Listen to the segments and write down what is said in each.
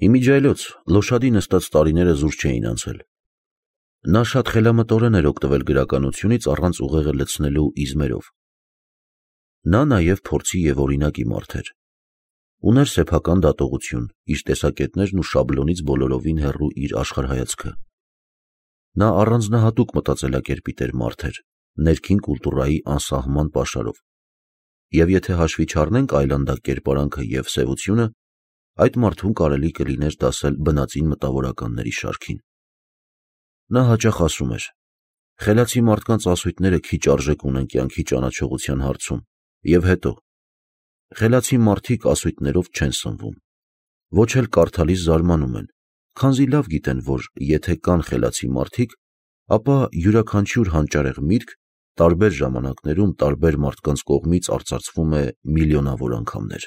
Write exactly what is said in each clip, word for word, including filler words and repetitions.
Իմիջայլոց Լոշադի նստած տարիները զուր չէին անցել։ Նա շատ խելամտորեն էր օգտվել գրականությունից առանց ուղեղը լցնելու իզմերով։ Նա նաև փորձի և օրինակի մարդ էր։ Ուներ սեփական դատողություն, իր տեսակետներն ու շաբլոնից բոլորովին հեռու իր աշխարհայացքը։ Նա առանձնահատուկ մտածելակերպի տեր մարդ էր, ներքին կուլտուրայի անսահման պաշարով։ Եվ եթե հաշվի չառնենք այլանդակ կերպարանքը և սևությունը, այդ մարդուն կարելի կլիներ դասել բնածին մտավորականների շարքին։ Նա հաճախ ասում էր. «Խելացի մարդկանց ասույթները քիչ արժեք ունեն կյանքի ճանաչողության հարցում, և հետո, խելացի մարդիկ ասույթներով չեն սնվում, ոչ էլ կարդալիս զարմանում են, քանզի լավ գիտեն, որ եթե կան խելացի մարդիկ, ապա յուրաքանչյուր հանճարեղ միտք տարբեր ժամանակներում տարբեր մարդկանց կողմից արծարծվում է միլիոնավոր անգամներ։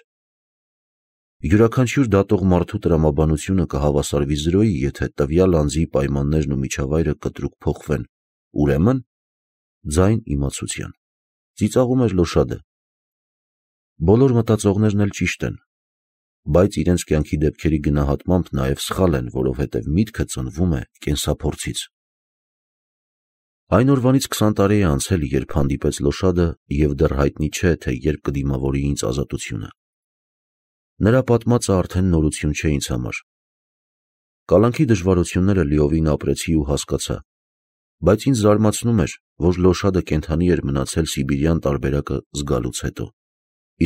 Յուրաքանչյուր դատող մարդու տրամաբանությունը կհավասարվի զրոյի, եթե տվյալ անձի պայմաններն ու միջավայրը կտրուկ փոխվեն, ուրեմն ձայն իմացության», ծիծաղում էր Լոշադը։ Բոլոր մտածողներն էլ ճիշտ են, բայց իրենց կյանքի դեպքերի գնահատմամբ նաև սխալ են, որովհետև միտքը ծնվում է կենսափորձից։ Այն օրվանից քսան տարի է անցել, երբ հանդիպեց Լոշադը, և դեռ հայտնի չէ, թե երբ կդիմավորի ինձ ազատությունը։ Նրա պատմածը արդեն նորություն չէ ինձ համար։ Կալանքի դժվարությունները լիովին ապրեցի ու հասկացա, բայց ինձ զարմացնում էր, որ Լոշադը կենդանի էր մնացել սիբիրյան տարբերակը զգալուց հետո,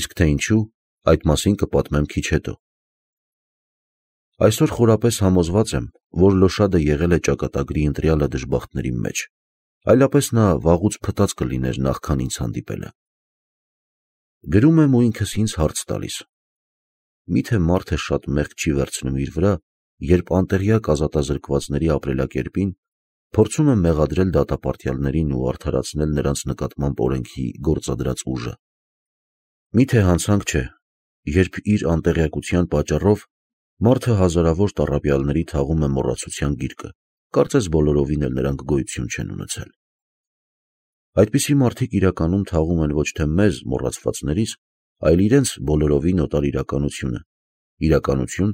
իսկ թե ինչու, այդ մասին կպատմեմ քիչ հետո։ Այսօր խորապես համոզված եմ, որ Լոշադը եղել է ճակատագրի ընտրյալը դժբախտների մեջ, այլապես նա վաղուց փտած կլիներ, նախքան ինձ հանդիպելը։ Գրում եմ ու ինքս ինձ հարց տալիս. միթե մարդը շատ մեղք չի վերցնում իր վրա, երբ անտեղյակ ազատազրկվածների ապրելակերպին փորձում է մեղադրել դատապարտյալներին ու արդարացնել նրանց նկատմամբ օրենքի գործադրած ուժը։ Միթե հանցանք չէ, երբ իր անտեղյակության պատճառով մարդը հազարավոր տառապյալների թաղում է մոռացության գիրկը, կարծես բոլորովին էլ նրանք գոյություն չեն ունեցել։ Այդպիսի մարդիկ իրականում թաղում են ոչ թե մեզ մոռացվածներից, այլ իրենց բոլորովին օտար իրականությունը, իրականություն,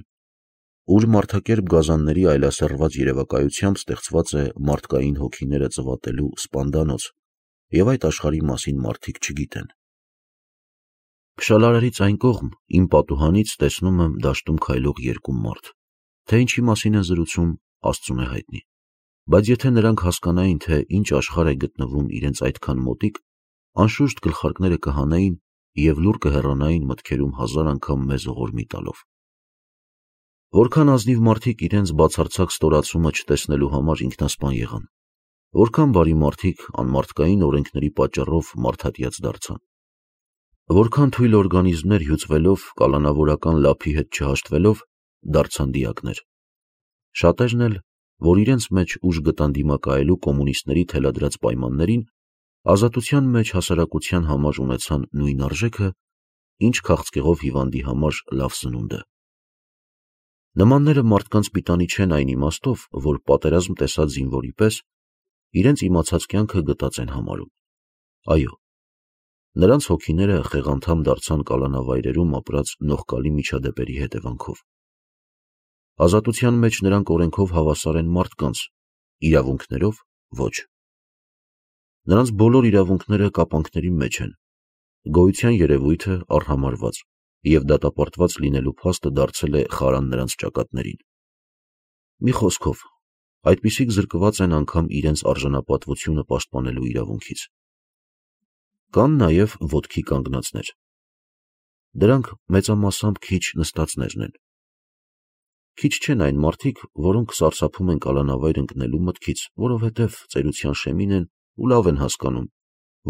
ուր մարդակերպ գազանների այլասեռված երևակայությամբ ստեղծված է մարդկային հոգիները ծվատելու սպանդանոց, և այդ աշխարհի մասին մարդիկ չգիտեն։ Փշալարերից այն կողմ, իմ պատուհանից տեսնում եմ դաշտում քայլող երկու մարդ, թե ինչի մասին են զրուցում, Աստծուն է հայտնի, բայց եթե նրանք հասկանային, թե ինչ աշխարհ է գտնվում իրենց այդքան մոտիկ, անշուշտ գլխարկները կհանեին և լուռ կհեռանային մտքերում հազար անգամ մեզ ողորմի տալով։ Որքան ազնիվ մարդիկ իրենց բացարձակ ստորացումը չտեսնելու համար ինքնասպան եղան, որքան բարի մարդիկ անմարդկային օրենքների պատճառով մարդատյաց դարձան, որքան թույլ օրգանիզմներ հյուծվելով, կալանավորական լափի հետ չհաշտվելով, դարձան դիակներ։ Շատերն էլ, որ իրենց մեջ ուժ գտան դիմակայելու կոմունիստների թելադրած պայմաններին, ազատության մեջ հասարակության համար ունեցան նույն արժեքը, ինչ քաղցկեղով հիվանդի համար լավ սնունդը։ Նմանները մարդկանց պիտանի չեն այն իմաստով, որ պատերազմ տեսած զինվորի պես իրենց իմացած կյանքը գտած են համարում։ Այո, նրանց հոգիները խեղանդամ դարձան կալանավայրերում ապրած նողկալի միջադեպերի հետևանքով։ Ազատության մեջ նրանք օրենքով հավասար են մարդկանց, իրավունքներով ոչ։ Նրանց բոլոր իրավունքները կապանքների մեջ են, գոյության երևույթը արհամարհված, և դատապարտված լինելու փաստը դարձել է խարան նրանց ճակատներին։ Մի խոսքով, այդպիսիք զրկված են անգամ իրենց արժանապատվությունը պաշտպանելու իրավունքից։ Կան նաև ոտքի կանգնածներ։ Դրանք մեծամասամբ քիչ նստածներն են։ Քիչ չեն այն մարդիկ, որոնք սարսափում են կալանավայր ընկնելու մտքից, որովհետև ծերության շեմին են ու լավ են հասկանում,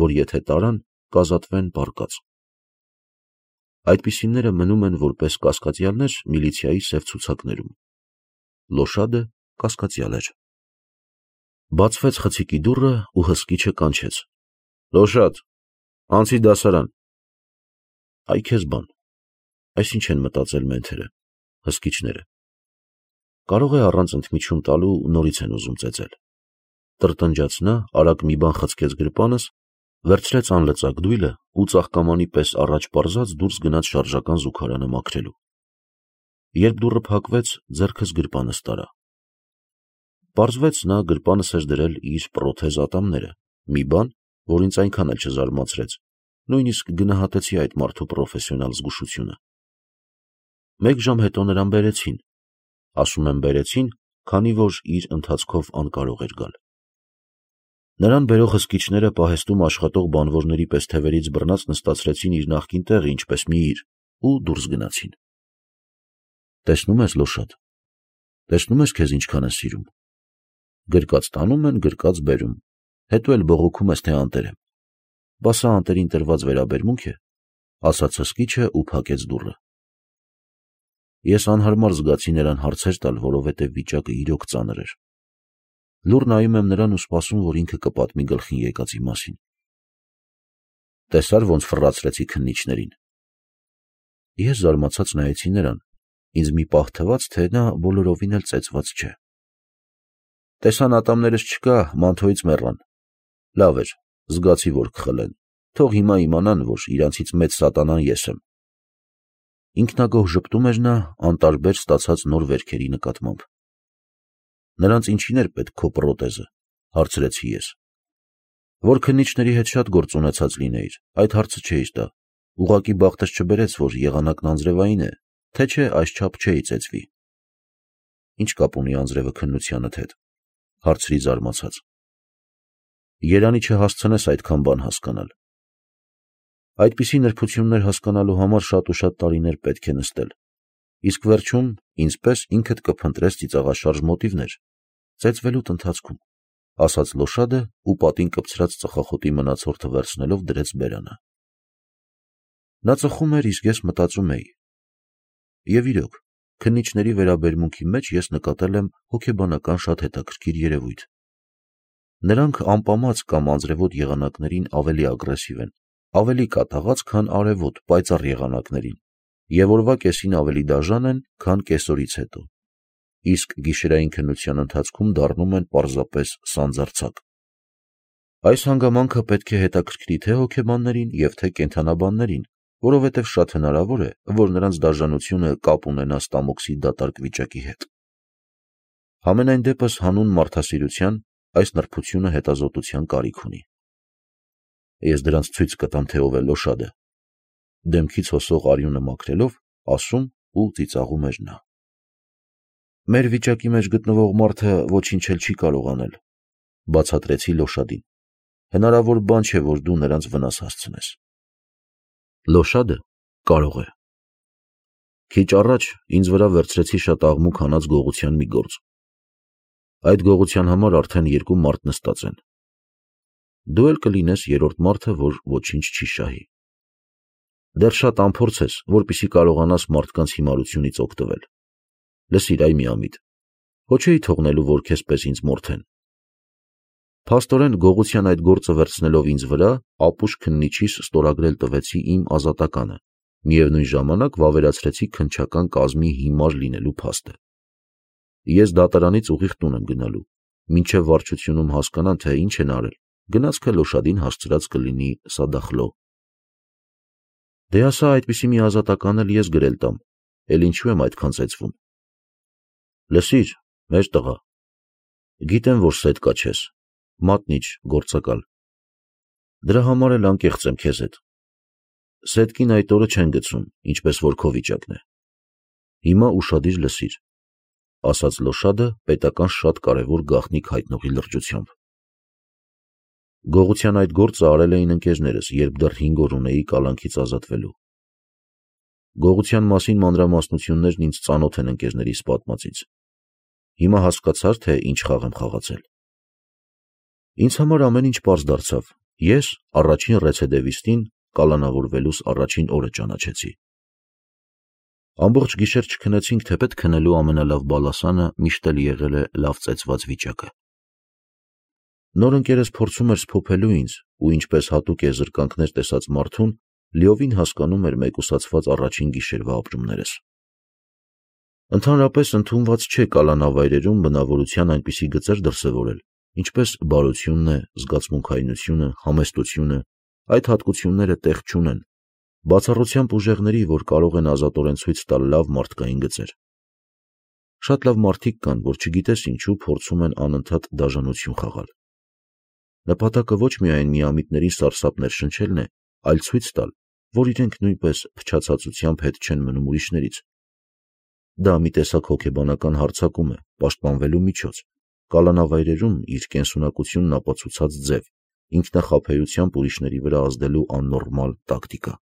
որ եթե տարան, կազատվեն պառկած։ Այդպիսիները մնում են որպես կասկածյալներ միլիցիայի սև ցուցակներում։ Լոշադը կասկածյալ էր։ Բացվեց խցիկի դուռը ու հսկիչը կանչեց. «Լոշադ, անցի դասարան»։ Այ քեզ բան, այս ինչ են մտածել մենթերը, հսկիչները։ Կարող է առանց ընդմիջում տալու նորից են ուզում ծեծել։ Տրտնջաց նա, արագ մի բան խցկեց գրպանս, վերցրեց անլծակ դույլը ու ծաղկամանի պես առաջ պարզած դուրս գնաց շարժական զուգարանը մաքրելու։ Երբ դուռը փակվեց, ձեռքս գրպանս տարա։ Պարզվեց, նա գրպանս էր դրել իր պրոթեզ ատամները, մի բան, որ ինձ այնքան էլ չզարմացրեց, նույնիսկ գնահատեցի այդ մարդու պրոֆեսիոնալ զգուշությունը։ Մեկ ժամ հետո նրան բերեցին, ասում եմ բերեցին, քանի որ իր ընթացքով անկարող էր գալ։ Նրան բերող հսկիչները պահեստում աշխատող բանվորների պես թևերից բռնած նստացրեցին իր նախկին տեղը, ինչպես մի իր, ու դուրս գնացին։ Տեսնում ես, Լոշադ, տեսնում ես քեզ ինչքան է սիրում։ Գրկած տանում են, գրկած բերում, հետո էլ բողոքում ես, թե անտեր եմ։ Բա սա անտերին տրված վերաբերմունք է, ասաց հսկիչը ու փակեց դուռը։ Ես անհարմար զգացի նրան հարցեր տալ, որովհետև վիճակը իրոք ծանր էր։ Լուռ նայում եմ նրան ու սպասում, որ ինքը կպատմի գլխին եկածի մասին։ Տեսար ոնց ֆռացրեցի քննիչներին։ Ես զարմացած նայեցի նրան, ինձ մի պահ թվաց, թե նա բոլորովին էլ ծեծված չէ։ Տեսան ատամներս չկա, մանթոյից մեռան։ Լավ էր, զգացի, որ կխլեն, թող հիմա իմանան, որ իրանցից մեծ սատանան ես եմ։ Ինքնագոհ ժպտում էր նա անտարբեր ստացած նոր վերքերի նկատմամբ։ Նրանց ինչին էր պետք քո պրոթեզը, հարցրեցի ես։ Որ քննիչների հետ շատ գործ ունեցած լինեիր, այդ հարցը չէիր տա, ուղղակի բախտս չբերեց, որ եղանակն անձրևային է, թե չէ այսչափ չէի ծեծվի։ Ինչ կապ ունի անձրևը քննությանդ հետ, հարցրի զարմացած։ Երանի չհասցնես այդքան բան հասկանալ։ Այդպիսի նրբություններ հասկանալու համար շատ ու շատ տարիներ պետք է նստել, իսկ վերջում ինձ պես ինքդ կփնտրես ծիծաղաշարժ մոտիվներ, ծեծվելուդ ընթացքում, ասաց Լոշադը ու պատին կպցրած ծխախոտի մնացորդը վերցնելով դրեց բերանը։ Նա ծխում էր, իսկ ես մտածում էի։ Եվ իրոք, քննիչների վերաբերմունքի մեջ ես նկատել եմ հոգեբանական շատ հետաքրքիր երևույթ։ Նրանք անպամած կամ անձրևոտ եղանակներին ավելի ագրեսիվ են, ավելի կատաղած, քան արևոտ, պայծառ եղանակներին, և օրվա կեսին ավելի դաժան են, քան կեսօրից հետո, իսկ գիշերային քննության ընթացքում դառնում են պարզապես սանձարձակ։ Այս հանգամանքը պետք է հետաքրքրի թե հոգեբաններին և թե կենդանաբաններին, որովհետև շատ հնարավոր է, որ նրանց դաժանությունը կապ ունենա ստամոքսի դատարկ վիճակի հետ։ Համենայն դեպս հանուն մարդասիրության այս նրբությունը հետազոտության կարիք ունի։ Ես դրանց ցույց կտամ, թե ով է Լոշադը, դեմքից հոսող արյունը մաքրելով, ասում ու ծիծաղում էր նա։ Մեր վիճակի մեջ գտնվող մարդը ոչինչ էլ չի կարող անել, բացատրեցի Լոշադին։ Հնարավոր բան չէ, որ դու նրանց վնաս հասցնես։ Լոշադը կարող է։ Քիչ առաջ ինձ վրա վերցրեցի շատ աղմուկ հանած գողության մի գործ։ Այդ գողության համար արդեն երկու մարդ նստած են։ Դու էլ կլինես երրորդ մարդը, որ ոչինչ չի շահի։ Դեռ շատ անփորձ ես, որպեսզի կարողանաս մարդկանց հիմարությունից օգտվել։ Լսիր, այ միամիտ, հո չէի թողնելու, որ քեզ պես ինձ մորթեն։ Փաստորեն գողության այդ գործը վերցնելով ինձ վրա, ապուշ քննիչիս ստորագրել տվեցի իմ ազատականը, միևնույն ժամանակ վավերացրեցի քննչական կազմի հիմար լինելու փաստը։ Ես դատարանից ուղիղ տուն եմ գնալու, մինչև վարչությունում հասկանան, թե ինչ են արել, գնացքը Լոշադին հասցրած կլինի սադախլո։ Դե ասա, այդպիսի մի ազատական էլ ես գրել տամ, էլ ինչու եմ այդքան ծեծվում։ Լսիր, մեր տղա, գիտեմ, որ սետ կաչես, մատնիչ, գործակալ։ Դրա համար էլ անկեղծ եմ քեզ հետ։ Սետկին այդ օրը չեն գցում, ինչպես որ քո վիճակն է։ Հիմա ուշադիր լսիր, ասաց Լոշադը պետական շատ կարևոր գաղտնիք հայտնողի լրջությամբ։ Գողության այդ գործը արել էին ընկերներս, երբ դեռ հինգ օր ունեի կալանքից ազատվելու։ Գողության մասին մանրամասնություններն ինձ ծանոթ են ընկերներիս պատմածից։ Հիմա հասկացար, թե ինչ խաղ եմ խաղացել։ Ինձ համար ամեն ինչ պարզ դարձավ։ Ես առաջին ռեցեդևիստին կալանավորվելուս առաջին օրը ճանաչեցի։ Ամբողջ գիշեր չքնեցինք, թեպետ քնելու ամենալավ բալասանը միշտ էլ եղել է լավ ծեծված վիճակը։ Նոր ընկերս փորձում էր սփոփելու ինձ ու ինչպես հատուկ է զրկանքներ տեսած մարդուն, լիովին հասկանում էր մեկուսացված առաջին գիշերվա ապրումներս։ Ընդհանրապես ընդունված չէ կալանավայրերում բնավորության այնպիսի գծեր դրսևորել, ինչպես բարությունն է, զգացմունքայնությունը, համեստությունը, այդ հատկությունները տեղ չունեն, բացառությամբ ուժեղների, որ կարող են ազատորեն ցույց տալ լավ մարդկային գծեր։ Շատ լավ մարդիկ կան, որ չգիտես ինչու փորձում են անընդհատ դաժանություն խաղալ։ Նպատակը ոչ միայն միամիտների սարսափներ շնչելն է, այլ ցույց տալ, որ իրենք նույնպես փչացածությամբ հետ չեն մնում ուրիշներից։ Դա մի տեսակ հոգեբանական հարձակում է, պաշտպանվելու միջոց, կալանավայրերում իր կենսունակությունն ապացուցած ձև, ինքնախաբեությամբ ուրիշների վրա ազդելու աննորմալ տակտիկա։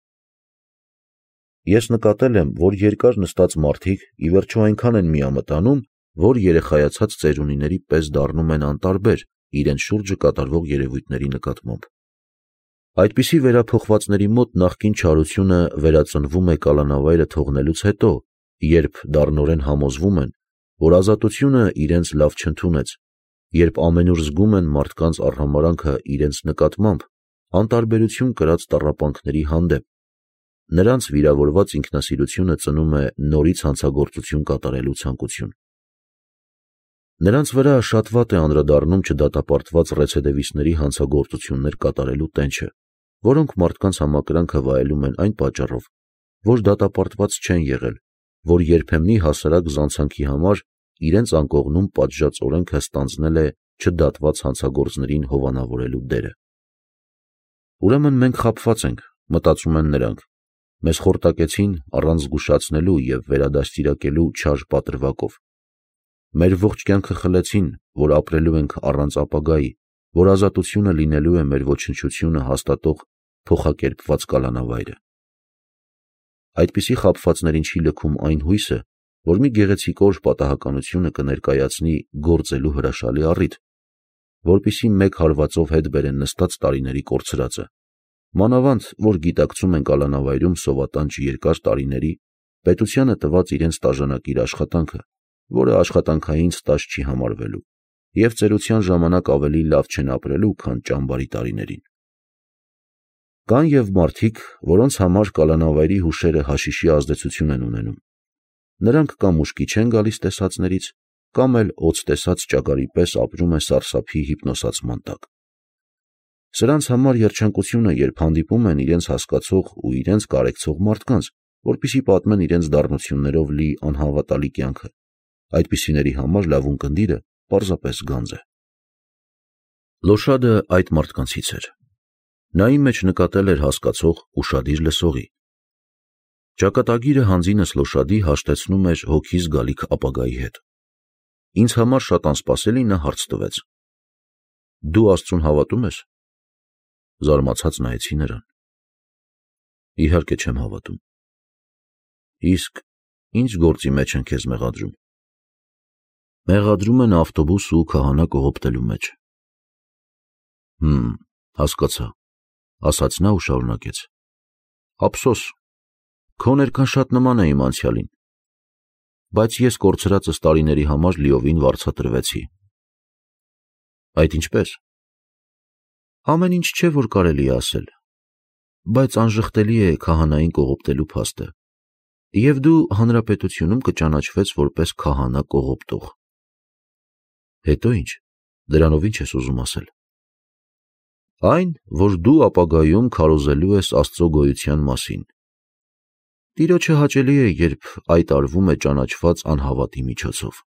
Ես նկատել եմ, որ երկար նստած մարդիկ ի վերջո այնքան են միամտանում, որ երեխայացած ծերունիների պես դառնում են անտարբեր իրենց շուրջը կատարվող երևույթների նկատմամբ։ Այդպիսի վերափոխվածների մոտ նախկին չարությունը վերածնվում է կալանավայրը թողնելուց հետո, երբ դառնորեն համոզվում են, որ ազատությունը իրենց լավ չընդունեց, երբ ամենուր զգում են մարդկանց արհամարհանքը իրենց նկատմամբ, անտարբերություն կրած տառապանքների հանդեպ, նրանց վիրավորված ինքնասիրությունը ծնում է նորից հանցագործություն կատարելու ցանկություն։ Նրանց վրա շատ վատ է անդրադառնում չդատապարտված ռեցեդիվիստների հանցագործություններ կատարելու տենչը, որոնք մարդկանց համակրանքը վայելում են այն պատճառով, որ դատապարտված չեն եղել, որ երբեմնի հասարակ զանցանքի համար իրենց անկողնում պատժած օրենքը ստանձնել է չդատված հանցագործներին հովանավորելու դերը։ Ուրեմն մենք խաբված ենք, մտածում են նրանք, մեզ խորտակեցին առանց զգուշացնելու և վերադաստիարակելու չար պատրվակով։ Մեր ողջ կյանքը խլեցին, որ ապրելու ենք առանց ապագայի, որ ազատությունը լինելու է մեր ոչնչությունը հաստատող փոխակերպված կալանավայրը։ Այդպիսի խաբվածներին չի լքում այն հույսը, որ մի գեղեցիկ օր պատահականությունը կներկայացնի գործելու հրաշալի առիթ, որպեսզի մեկ հարվածով հետ բերեն նստած տարիների կորցրածը, մանավանդ որ գիտակցում են կալանավայրում սովատանչ երկար տարիների պետությանը տված իրենց տաժանակիր աշխատանքը, որը աշխատանքային ստաժ չի համարվելու, և ծերության ժամանակ ավելի լավ չեն ապրելու, քան ճամբարի տարիներին։ Կան և մարդիկ, որոնց համար կալանավայրի հուշերը հաշիշի ազդեցություն են ունենում։ Նրանք կամ ուշքի չեն գալիս տեսածներից, կամ էլ օձ տեսած ճագարի պես ապրում են սարսափի հիպնոսացման տակ։ Սրանց համար երջանկություն է, երբ հանդիպում են իրենց հասկացող ու իրենց կարեկցող մարդկանց, որպեսզի պատմեն իրենց դառնություններով լի անհավատալի կյանքը։ Այդպիսիների համար լավ ունկնդիրը պարզապես գանձ է։ Լոշադը այդ մարդկանցից էր։ Նա իմ մեջ նկատել էր հասկացող, ուշադիր լսողի։ Ճակատագիրը հանձինս Լոշադի հաշտեցնում էր հոգիս գալիք ապագայի հետ։ Ինձ համար շատ անսպասելի նա հարց տվեց. «Դու Աստծուն հավատում ես»։ Զարմացած նայեցի նրան։ «Իհարկե չեմ հավատում»։ «Իսկ ի՞նչ գործի մեջ են քեզ մեղադրում»։ «Մեղադրում են ավտոբուս ու քահանա կողոպտելու մեջ»։ «Հմ, հասկացա», ասաց նա ու շարունակեց. «Ափսոս, քո ներկան շատ նման է իմ անցյալին, բայց ես կորցրածս տարիների համար լիովին վարձատրվեցի»։ «Այդ ինչպե՞ս»։ «Ամեն ինչ չէ, որ կարելի է ասել, բայց անժխտելի է քահանային կողոպտելու փաստը, և դու հանրապետությունում կճանաչվես որպես քահանա կողոպտող»։ «Հետո ի՞նչ, դրանով ի՞նչ ես ուզում ասել»։ «Այն, որ դու ապագայում քարոզելու ես Աստծո գոյության մասին։ Տիրոջը հաճելի է, երբ այդ արվում է ճանաչված անհավատի միջոցով»։